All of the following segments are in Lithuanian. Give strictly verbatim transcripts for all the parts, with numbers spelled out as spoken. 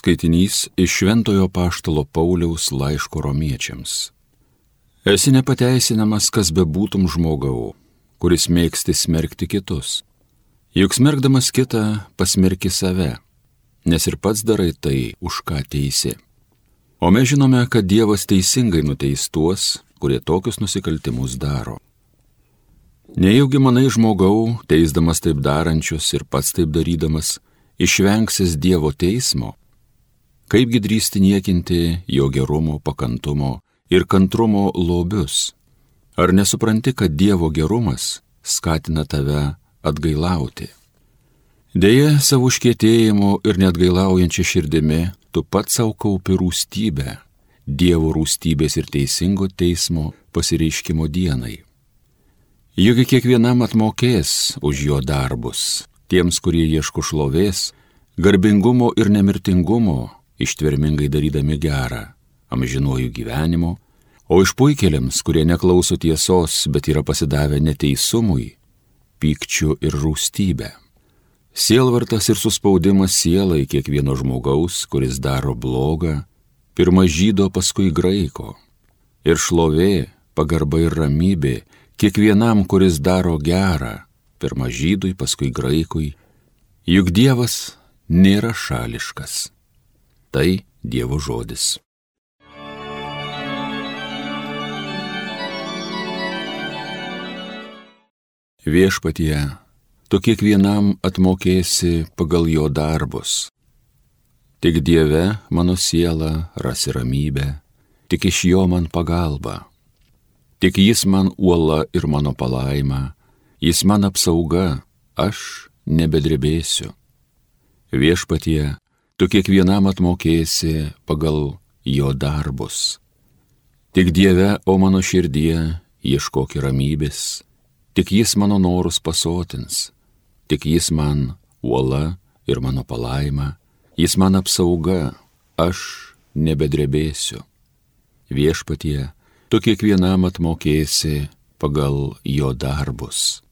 Skaitinys iš Šventojo Apaštalo Pauliaus laiško romiečiams. Esi nepateisinamas, kas bebūtum žmogau, kuris mėgsti smerkti kitus. Juk smerkdamas kitą pasmerki save, nes ir pats darai tai, už ką teisi. O mes žinome, kad Dievas teisingai nuteis tuos, kurie tokius nusikaltimus daro. Nejaugi manai žmogau, teisdamas taip darančius ir pats taip darydamas, išvengsis Dievo teismo? Kaipgi drįsti niekinti jo gerumo, pakantumo ir kantrumo lobius? Ar nesupranti, kad Dievo gerumas skatina tave atgailauti? Deja, savo užkietėjimu ir neatgailaujančia širdimi tu pats savo kaupi rūstybę, Dievo rūstybės ir teisingo teismo pasireiškimo dienai. Juk kiekvienam atmokės už jo darbus, tiems, kurie ieško šlovės, garbingumo ir nemirtingumo, ištvermingai darydami gerą, amžinuoju gyvenimu, o išpuikėliams, kurie neklauso tiesos, bet yra pasidavę neteisumui, pykčiu ir rūstybę. Sielvartas ir suspaudimas sielai kiekvieno žmogaus, kuris daro blogą, pirma žydo, paskui graiko. Ir šlovė, pagarba ir ramybė kiekvienam, kuris daro gerą, pirma žydui, paskui graikui, juk Dievas nėra šališkas. Tai Dievo žodis. Viešpatie, tu kiekvienam atmokėsi pagal jo darbus. Tik Dieve mano siela rasi ramybę, tik iš jo man pagalba. Tik jis man uola ir mano palaima, jis man apsauga, aš nebedrebėsiu. Viešpatie, tu kiekvienam atmokėsi pagal jo darbus. Tik Dieve, o mano širdie, ieškok ramybės, tik jis mano norus pasotins, tik jis man uola ir mano palaima, jis man apsauga, aš nebedrebėsiu. Viešpatie, tu kiekvienam atmokėsi pagal jo darbus.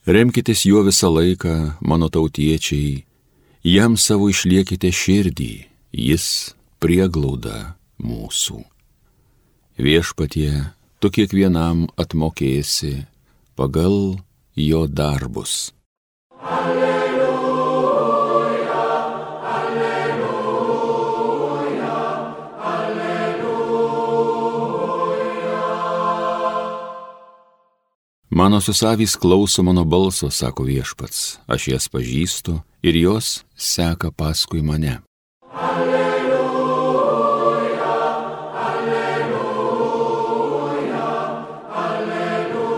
Remkitės juo visą laiką, mano tautiečiai, jam savo išliekite širdį, jis prieglauda mūsų. Viešpatie, tu kiekvienam atmokėsi pagal jo darbus. Mano susavys klauso mano balso, sako Viešpats, aš jas pažįstu ir jos seka paskui mane. Alleluja, alleluja, alleluja.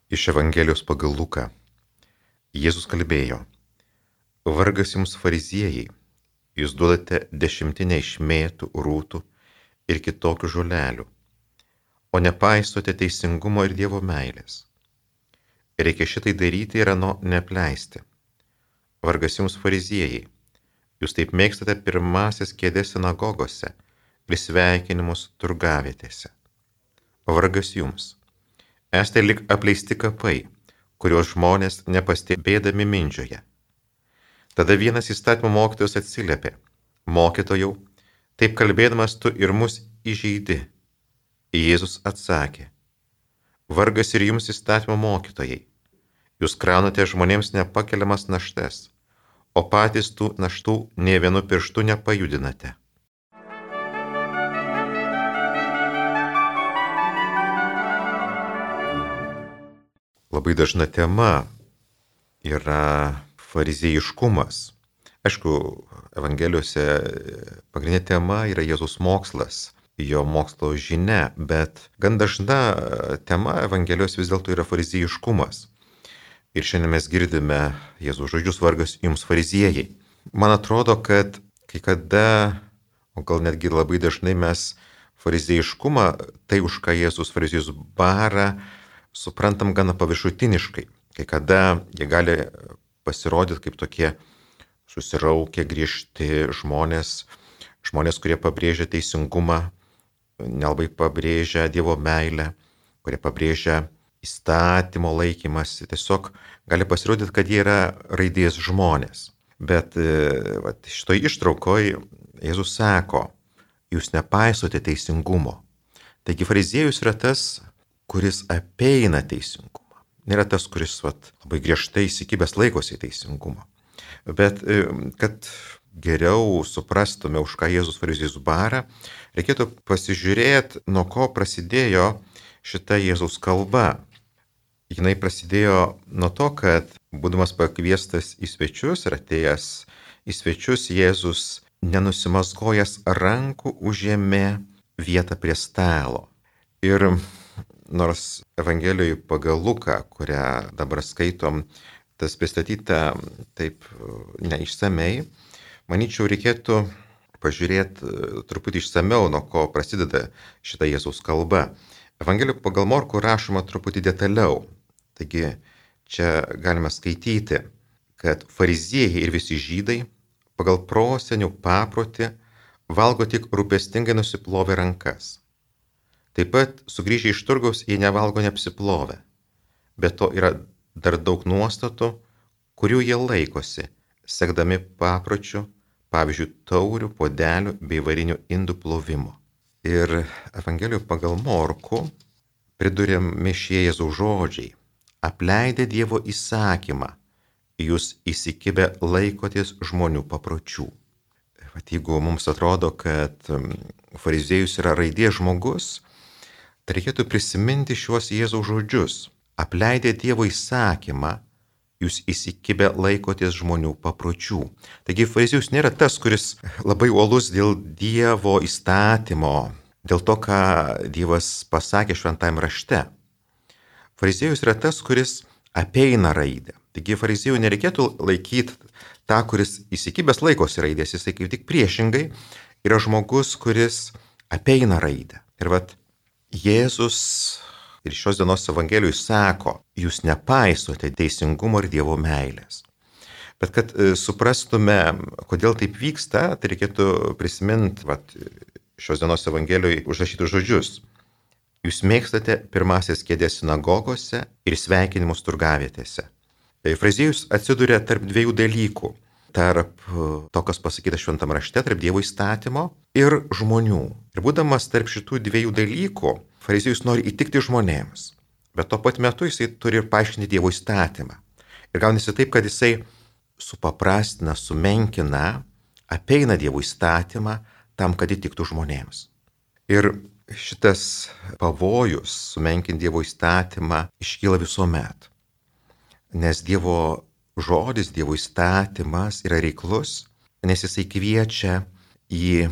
Iš Evangelijos pagal Luką. Jėzus kalbėjo: Vargas jums fariziejai, jūs duodate dešimtinę iš mėtų, rūtų ir kitokių žolelių, o nepaisote teisingumo ir Dievo meilės. Reikia šitai daryti ir ano neapleisti. Vargas jums fariziejai, jūs taip mėgstate pirmasias kėdės sinagogose ir sveikinimus turgavietėse. Vargas jums, esate lyg apleisti kapai, kuriuos žmonės nepastebėdami mindžioja. Tada vienas įstatymo mokytojas atsiliepė: Mokytojau, taip kalbėdamas tu ir mus įžeidi. Jėzus atsakė: Vargas ir jums įstatymo mokytojai, jūs kraunate žmonėms nepakeliamas naštas, o patys tų naštų nė vienu pirštu nepajudinate. Labai dažna tema yra fariziejiškumas. Aišku, Evangelijose pagrindinė tema yra Jėzaus mokslas, jo mokslo žinia, bet gan dažna tema Evangelijos vis dėlto yra fariziejiškumas. Ir šiandien mes girdime Jėzaus žodžius: vargas jums fariziejai. Man atrodo, kad kai kada, o gal netgi labai dažnai mes fariziejiškumą, tai už ką Jėzus fariziejus bara, suprantam gana paviršutiniškai. Kai kada jie gali pasirodyti kaip tokie susiraukę, griežti žmonės, žmonės, kurie pabrėžia teisingumą, nelabai pabrėžia Dievo meilę, kurie pabrėžia įstatymo laikymasi. Tiesiog gali pasirodyti, kad jie yra raidės žmonės. Bet vat, šitoj ištraukoj Jėzus sako, jūs nepaisote teisingumo. Taigi fariziejus yra tas, kuris apeina teisingumą. Nėra tas, kuris vat, labai griežtai įsikibęs laikosi teisingumo. Bet kad geriau suprastume, už ką Jėzus fariziejus bara, reikėtų pasižiūrėti, nuo ko prasidėjo šita Jėzaus kalba. Jinai prasidėjo nuo to, kad būdamas pakviestas į svečius ir atėjęs į svečius, Jėzus nenusimazgojęs rankų užėmė vietą prie stalo. Ir nors Evangelijoje pagal Luką, kurią dabar skaitom, tas pristatyta taip neišsamei, manyčiau, reikėtų pažiūrėti truputį išsameu, nuo ko prasideda šita Jėzaus kalba. Evangelijoje pagal Morkų rašoma truputį detaliau. Taigi čia galime skaityti, kad fariziejai ir visi žydai pagal prosenių paprotį valgo tik rūpestingai nusiplovę rankas. Taip pat sugrįžę iš turgaus jie nevalgo neapsiplovę. Be to yra dar daug nuostatų, kurių jie laikosi, sekdami papročių, pavyzdžiui, taurių, puodelių bei varinių indų plovimo. Ir Evangelijoje pagal Morkų priduriami šie Jėzaus žodžiai. Apleidę Dievo įsakymą, jūs įsikibę laikotės žmonių papročių. Vat jeigu mums atrodo, kad fariziejus yra raidės žmogus, tai reikėtų prisiminti šiuos Jėzaus žodžius. Apleidę Dievo įsakymą, jūs įsikibę laikotės žmonių papročių. Taigi fariziejus nėra tas, kuris labai uolus dėl Dievo įstatymo, dėl to, ką Dievas pasakė šventajame rašte. Fariziejus yra tas, kuris apeina raidę. Taigi fariziejų nereikėtų laikyti tą, kuris įsikibęs laikosi raidės, jisai kaip tik priešingai yra žmogus, kuris apeina raidę. Ir vat Jėzus ir šios dienos Evangelijoje sako, jūs nepaisote teisingumo ir Dievo meilės. Bet kad suprastume, kodėl taip vyksta, tai reikėtų prisiminti vat, šios dienos Evangelijoje užrašytus žodžius. Jūs mėgstate pirmasias kėdės sinagogose ir sveikinimus turgavietėse. Fariziejus atsiduria tarp dviejų dalykų. Tarp to, kas pasakyta šventame rašte, tarp Dievo įstatymo ir žmonių. Ir būdamas tarp šitų dviejų dalykų, fariziejus nori įtikti žmonėms. Bet tuo pat metu jisai turi ir paaiškinti Dievo įstatymą. Ir gaunasi taip, kad jisai supaprastina, sumenkina, apeina Dievo įstatymą tam, kad įtiktų žmonėms. Ir šitas pavojus sumenkinti Dievo įstatymą iškyla visuomet. Nes Dievo žodis, Dievo įstatymas yra reiklus, nes jisai kviečia į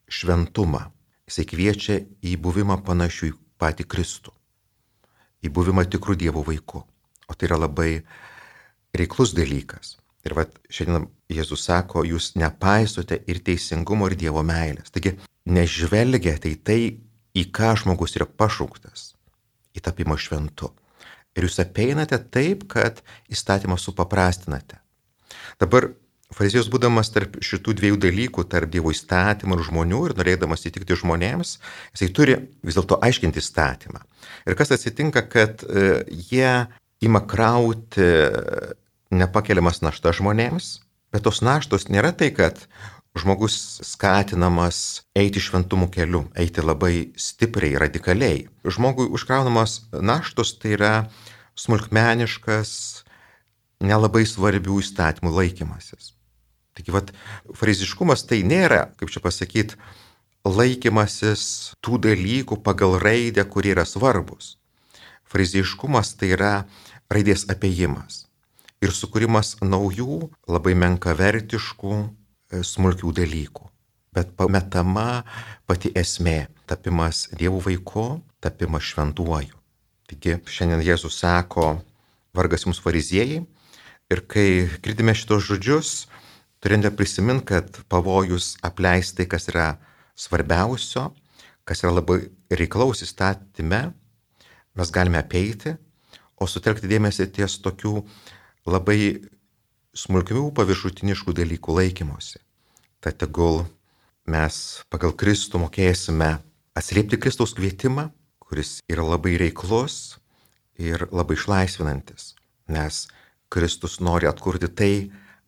šventumą. Jisai kviečia į buvimą panašių į patį Kristų. Į buvimą tikrų Dievo vaikų. O tai yra labai reiklus dalykas. Ir vat šiandien Jėzus sako, jūs nepaisote ir teisingumo, ir Dievo meilės. Taigi nežvelgiate į tai, į ką žmogus yra pašauktas, į tapimą šventu. Ir jūs apeinate taip, kad įstatymą supaprastinate. Dabar fariziejus būdamas tarp šitų dviejų dalykų, tarp Dievo įstatymų ir žmonių ir norėdamas įtikti žmonėms, jisai turi vis dėlto aiškinti įstatymą. Ir kas atsitinka, kad e, jie ima krauti nepakeliamas našta žmonėms, bet tos naštos nėra tai, kad žmogus skatinamas eiti šventumo keliu, eiti labai stipriai, radikaliai. Žmogui užkraunamas naštos tai yra smulkmeniškas, nelabai svarbių įstatymų laikymasis. Taigi, vat, fariziškumas tai nėra, kaip čia pasakyti, laikymasis tų dalykų pagal raidę, kurie yra svarbus. Fariziškumas tai yra raidės apėjimas ir sukūrimas naujų, labai menkavertiškų, smulkių dalykų. Bet pametama pati esmė - tapimas Dievo vaiku, tapimas šventuoju. Taigi šiandien Jėzus sako, vargas jums fariziejai. Ir kai girdime šitos žodžius, turime prisiminti, kad pavojus apleisti, kas yra svarbiausio, kas yra labai reiklaus įstatyme, mes galime apeiti, o sutelkti dėmesį ties tokių labai smulkių paviršutiniškų dalykų laikymosi. Tad tegul mes pagal Kristų mokėsime atsiliepti Kristaus kvietimą, kuris yra labai reiklus ir labai išlaisvinantis, nes Kristus nori atkurti tai,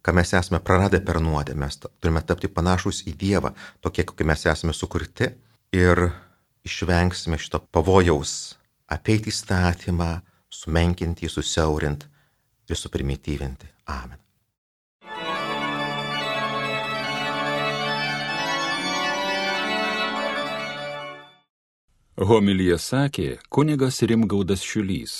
ką mes esame praradę per nuodėmę. Mes turime tapti panašus į Dievą, tokie, kokie mes esame sukurti, ir išvengsime šito pavojaus apeiti įstatymą, sumenkinti, susiaurinti ir suprimityvinti. Amen. Homiliją sakė kunigas Rimgaudas Šiulys.